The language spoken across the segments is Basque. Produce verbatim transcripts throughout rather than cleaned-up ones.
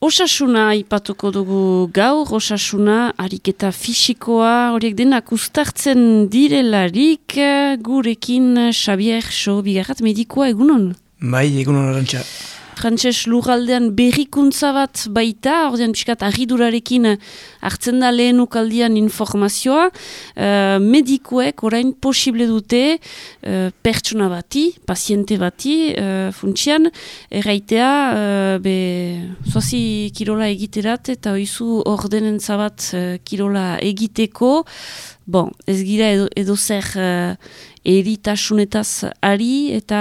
Osasuna ipatuko dugu gaur, osasuna, ariketa fisikoa, horiek denak uztartzen direlarik, gurekin Xabier So bigarrat medikoa egunon? Bai, egunon Arantxa. Frantses lurraldean berrikuntza bat baita, ordean pixkat arridurarekin hartzen da lehen ukaldian informazioa, uh, medikuek orain posible dute uh, pertsona bati, paziente bati, uh, funtsian, erraitea, uh, be, zoazi kirola egiterat eta oizu ordenen zabat uh, kirola egiteko, bon, ez gira edo, edo zer uh, eritasunetaz ari eta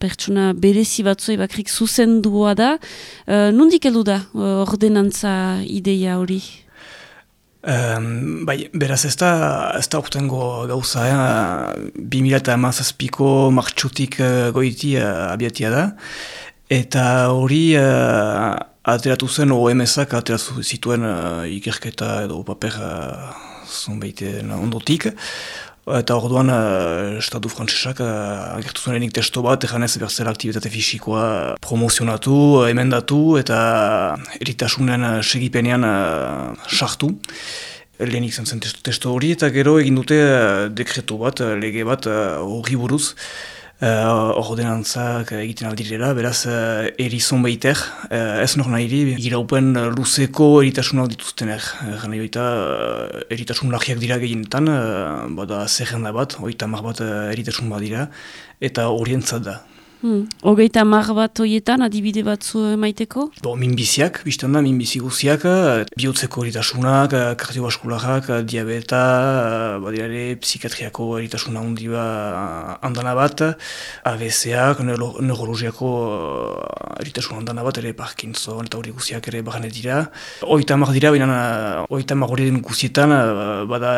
pertsona berezi batzoi bakrik zuzendua da. Uh, nondik heldu da uh, ordenantza ideia hori? Um, bai, beraz ez da, ez da urtengo gauza, eh? bi mila hamazazpiko martxotik uh, goiti uh, abiatia da. Eta hori uh, ateratu zen O M S-ak ateratu zituen uh, ikerketa edo paper uh, zonbeiten ondotik. Eta orduan, uh, Estatu frantsesak uh, agertu zuenenik testo bat, eganez berzela aktibitate fisikoa promozionatu, emendatu eta eritasunen uh, segipenean uh, sartu. Lehenik zen zen testo, testo hori, eta gero egin dute uh, dekretu bat, uh, lege bat horri uh, buruz. Uh, ordenantzak egiten aldirela, beraz uh, erizon behiter, uh, ez nor nahiri, iraupen luzeko eritasunak dituztener. Uh, nahi baita, uh, eritasun lagiak dira gehienetan, uh, bada zerrenda bat, oita mar bat uh, eritasun bat dira, eta orientzat da. Hmm. Hogeita mar bat horietan adibide batzu maiteko? Bo, minbiziak, biztan da, minbizi guziak, bihotzeko eritasunak, kardiobaskularak, diabeta, badirare, psikiatriako eritasuna hundi ba handana bat, A B C-ak, neuro, neurologiako eritasuna handana bat, ere Parkinson eta hori guziak ere barane dira. Hogeita mar dira, baina hogeita mar horien guzietan, bada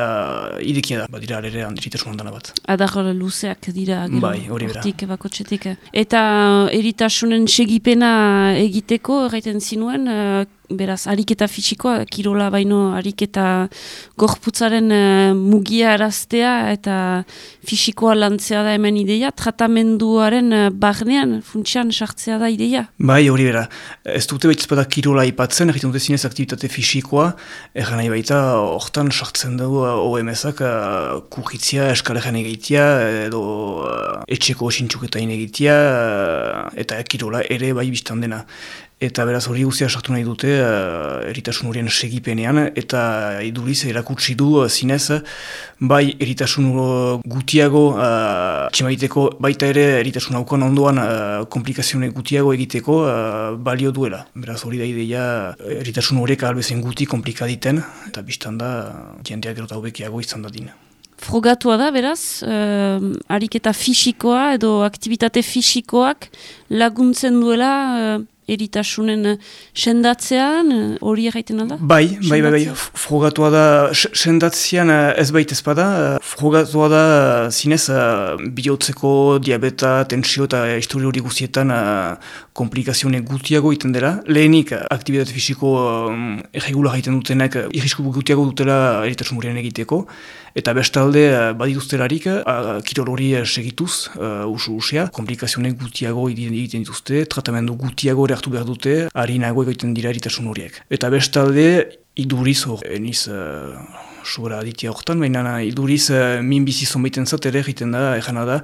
idekia da, badira ere eritasuna handana bat. Adar luzeak dira, gero, bai, hori bera. Hortik, bakotxetik. Eta eritasunen segipena egiteko, erraiten zinuen, uh, beraz, ariketa fisikoa, kirola baino ariketa gorputzaren uh, mugia araztea eta fisikoa lantzea da hemen ideia, tratamenduaren uh, barnean, funtsian sartzea da ideia? Bai, hori bera. Ez dute baita kirola ipatzen, egiten dute zinez aktivitate fisikoa, erran nahi baita, hortan sartzen dugu O M S-ak uh, kurritzia, eskaleran egitea, edo uh, etxeko sintxuketain egitea, uh, eta kirola ere bai biztan dena. Eta beraz hori guztia sartu nahi dute uh, eritasun horien segipenean, eta iduriz erakutsi du uh, zinez, bai eritasun gutiago uh, tximaiteko, baita ere eritasun haukan ondoan uh, komplikazione gutiago egiteko uh, balio duela. Beraz hori da ideia eritasun horiek albezen guti komplikaditen, eta biztan da jendeak gero eta hobekiago izan dadin. Frogatua da, beraz, uh, ariketa fisikoa edo aktivitate fisikoak laguntzen duela uh, eritasunen sendatzean, hori erraiten alda? Bai, bai, bai, bai, frogatua da, sendatzean ez baita ezpada, frogatua da zinez bihotzeko diabeta, tensio eta histori hori guztietan komplikazione gutiago iten dela. Lehenik, aktibitate fisiko um, erregular egiten dutenak, irrisku gutiago dutela eritasun horien egiteko, eta bestalde badituztelarik, uh, kirol hori segituz, uh, usu usea, komplikazione gutiago egiten dituzte, tratamendu gutiago hartu behar dute, harinago egiten dira eritasun horiek. Eta bestalde, iduriz hor, eniz uh, sobera aditia horretan, baina iduriz uh, minbizi zonbaiten zat ere egiten da, egana da,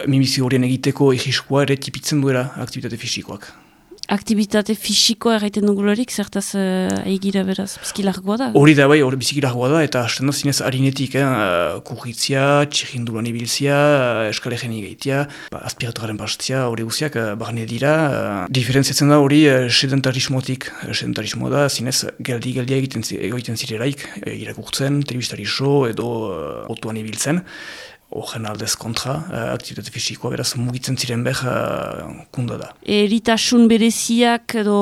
minbizi horien egiteko egiskoa ere tipitzen duela aktivitate fisikoak. Aktibitate fisikoa erraiten dugularik, zertaz uh, egira beraz, bizkilargoa da? Hori da, bai, hori bizkilargoa da, eta hasten da zinez harinetik, eh, kurritzia, txirrindulan ibiltzia, eskalegen egeitia, ba, aspiratoraren pastzia, hori guziak, uh, barne dira. Uh, diferentziatzen da hori uh, sedentarismotik, uh, sedentarismoa da, zinez geldi-geldia egiten, egiten zirelaik, uh, irakurtzen, telebistari show edo uh, otuan ibiltzen. Horren aldez kontra, uh, aktivitate fisikoa, beraz mugitzen ziren behar uh, kunda da. Eritasun bereziak edo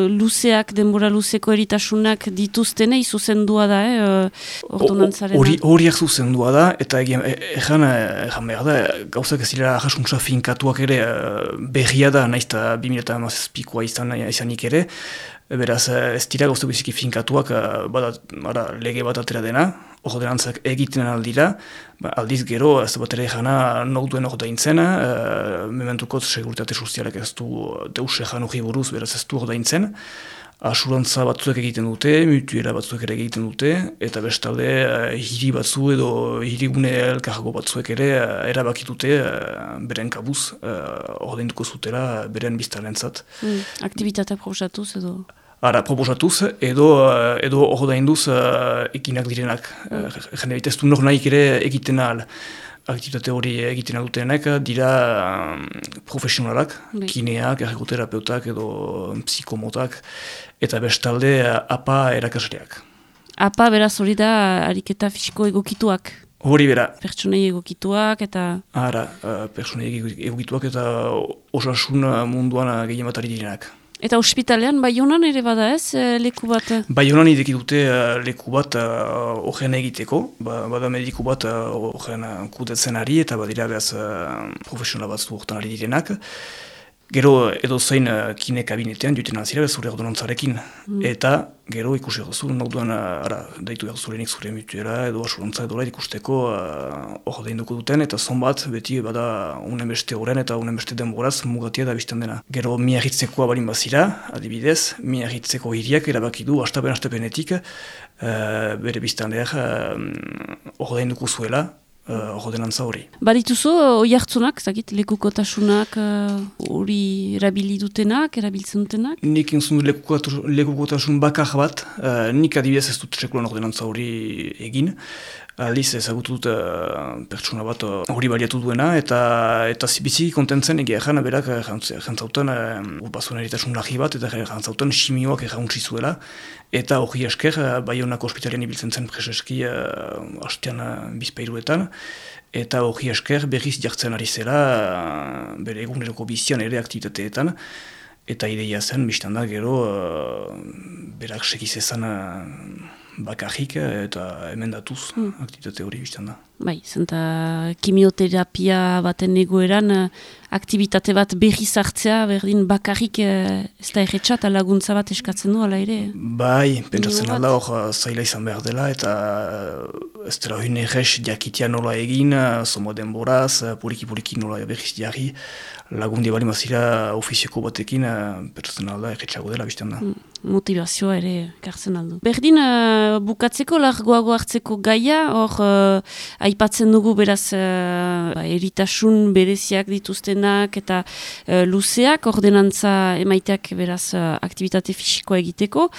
luzeak, denbora luzeko eritasunak dituztenei zuzendua da, eh, ordonantzarena? Horiak zuzendua da, eta egan behar da, gauzak ez dira jasuntza finkatuak ere berria da, naizta bi mila hamazazpikoa izan, izanik ere, beraz ez dira gauzak biziki finkatuak, bada, bada, lege bat atera dena, ordenantzak egiten aldira, ba, aldiz gero, ez bat ere jana nok duen hor daintzen, uh, mementukot seguritate sozialak ez du deus ejan hori buruz, beraz ez du hor daintzen, asurantza batzuek egiten dute, mutuela batzuek ere egiten dute, eta bestalde uh, hiri batzu edo hirigune elkargo batzuek ere uh, erabakitute uh, beren kabuz uh, ordainduko zutela beren biztanentzat. Mm, Aktibitatea proposatuz edo? Ara, proposatuz edo, uh, edo ordainduz uh, ekinak direnak. Mm. Uh, jende baita ez du nor nahik ere egiten ahal. Aktibitate hori egiten dutenek dira um, profesionalak, Bai. kineak, ergoterapeutak edo psikomotak, eta bestalde A P A erakasleak. A P A beraz hori da ariketa fisiko egokituak? Hori bera. Pertsonei egokituak eta... Ara, uh, pertsonei egokituak eta osasun munduan gehien bat ari direnak. Eta ospitalean, Baionan ere bada ez, leku bat? Baionan ideki dute leku bat horren egiteko, ba, bada mediku bat horren kudetzen ari eta badira behaz profesional bat horretan ari direnak. Gero edo zein kine kabinetean duten alzira zure ordonantzarekin. Mm. Eta gero ikusi duzu, nauduan ara, daitu behar zurenik zure mutuela edo asurantza edo ikusteko hor deinduko duten, eta zon bat beti bada unen beste horren eta unen beste denboraz mugatia da bizten dena. Gero miarritzekoa balin bazira, adibidez, miarritzeko hiriak erabaki du astapen-astapenetik uh, bere biztan behar hor uh, deinduko zuela, ordenantza hori. Badituzu, oi hartzunak, zakit, lekukotasunak hori uh, erabili dutenak, erabiltzen dutenak? Nik entzun lekukotasun bakar bat, uh, nik adibidez ez dut sekulan ordenantza hori egin. Aldiz ezagutu dut uh, pertsona bat hori uh, baliatu duena, eta eta biziki kontentzen egia erran, berak jantzautan uh, urbazuen eritasun lagi bat, eta jantzautan simioak errauntzi zuela, eta hori esker, uh, Baionako ospitalean ibiltzen zen preseski uh, hastean uh, bizpeiruetan, eta hori esker berriz jartzen ari zela uh, bere eguneroko bizian ere aktibitateetan, eta ideia zen, biztan da, gero uh, berak sekizezan uh, bakarrik eta emendatuz hmm. aktivitate hori biztan da. Bai, zenta kimioterapia baten egoeran aktivitate bat berriz hartzea, berdin bakarrik ez da erretxat, laguntza bat eskatzen du, ala ere? Bai, pentsatzen alda hor zaila izan behar dela, eta ez dela hune errex jakitia nola egin, zomo denboraz, puriki-puriki nola berriz jarri, lagundi bali mazira ofizioko batekin, pentsatzen alda erretxago dela biztan da. Hmm. Motivazioa ere kartzen aldu. Berdin, uh, bukatzeko, largoago hartzeko gaia, hor uh, aipatzen dugu beraz uh, eritasun bereziak dituztenak eta uh, luzeak, ordenantza emaiteak beraz uh, aktivitate fisikoa egiteko.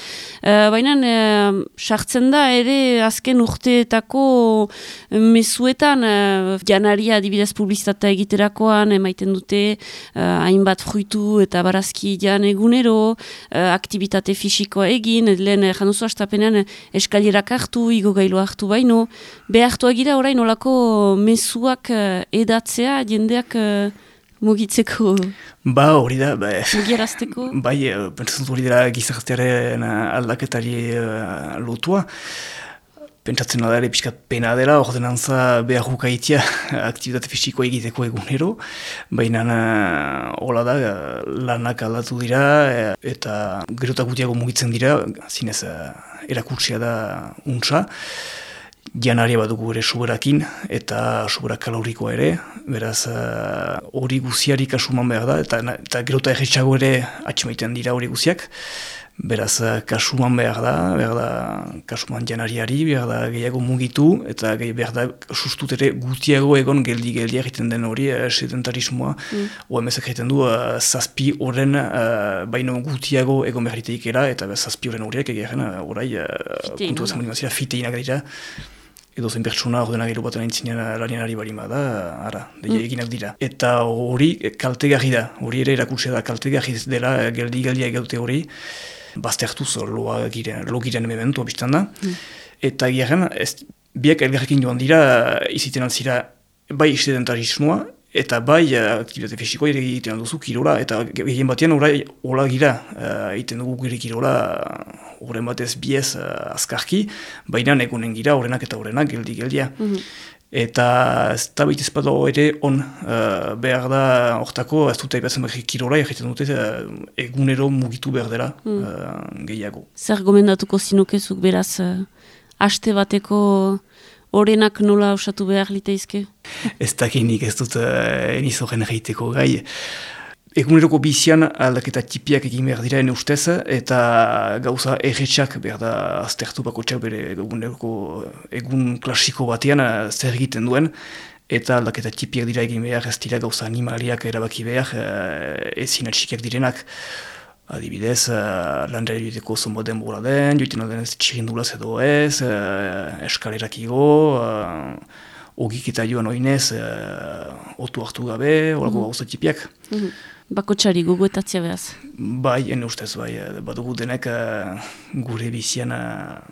Uh, Baina, uh, sartzen da ere azken urteetako mezuetan, uh, janaria adibidez publizitatea egiterakoan, emaiten dute uh, hainbat fruitu eta barazki jan egunero, uh, aktivitate fisikoa egin, lehen januzu astapenean eskalirak hartu, igo gailu hartu baino, behartu agira orain olako mezuak uh, edatzea, jendeak uh, mugitzeko. Ba, hori da, ba, mugiarazteko. Bai, pentsatzen hori dira gizartearen aldaketari uh, lotua. Pentsatzen da ere pixkat pena dela, ordenantza behar hukaitia aktivitate fisikoa egiteko egunero, baina hola da, lanak aldatu dira eta gerotak gutiago mugitzen dira, zinez erakutsia da untsa. Janaria bat dugu ere suberakin eta suberak kalorikoa ere, beraz hori guziari kasuman behar da, eta, eta gerota erretxago ere atxemaiten dira hori guziak. Beraz, kasuman behar da, behar da kasuman janariari, behar da gehiago mugitu, eta behar da sustut ere gutiago egon geldi-geldi egiten den hori eh, sedentarismoa. Mm. O emezak egiten du, uh, zazpi horren uh, baino gutiago egon behar iteikera, eta zazpi horren horiek egiten uh, orai uh, puntu ezan molimazira fiteinak dira. Edo zen pertsona ordena gero baten aintzinean lanianari bari da, ara, deia mm. eginak dira. Eta hori kaltegarri da, hori ere erakutsia da kaltegarri dela geldi-geldia egaute hori, bazte hartuz loa giren, lo giren mementoa biztan da. Mm. Eta garen, biak elgarrekin joan dira, iziten altzira, bai sedentarismoa, eta bai aktibitate fisikoa ere egiten duzu kirola, eta gehien batean orai hola gira, egiten dugu gire kirola, horren batez biez uh, azkarki, baina egunen gira horrenak eta horrenak geldi-geldia. Mm-hmm. Eta ez da baita ezpada ere on, uh, behar da hortako, ez dut aipatzen behar kirola, egiten dute uh, egunero mugitu behar dela mm. uh, gehiago. Zer gomendatuko zinukezuk beraz, uh, aste bateko horrenak nola osatu behar liteizke? Ez dakinik ez dut uh, eniz horren egiteko gai. eguneroko bizian aldaketa tipiak egin behar dira ene ustez, eta gauza erretxak behar da aztertu bakotxak bere eguneroko egun klasiko batean zer egiten duen, eta aldaketa tipiak dira egin behar, ez dira gauza animaliak erabaki behar, ezin atxikiak direnak. Adibidez, uh, landera joiteko zonbo denbora den, joiten den ez txirindulaz edo ez, uh, eskalerak igo, uh, ogik eta joan oinez, uh, otu hartu gabe, horako mm. gauza tipiak. Mm -hmm. Bakotxari gogoetatzea behaz? Bai, ene ustez, bai, badugu denek uh, gure bizian uh,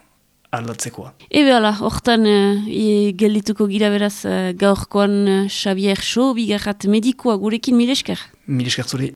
aldatzekoa. Ebe ala, hortan uh, geldituko gira beraz uh, gaurkoan uh, Xabier Xo, bigarrat medikoa gurekin, mil esker? Mil esker zuri.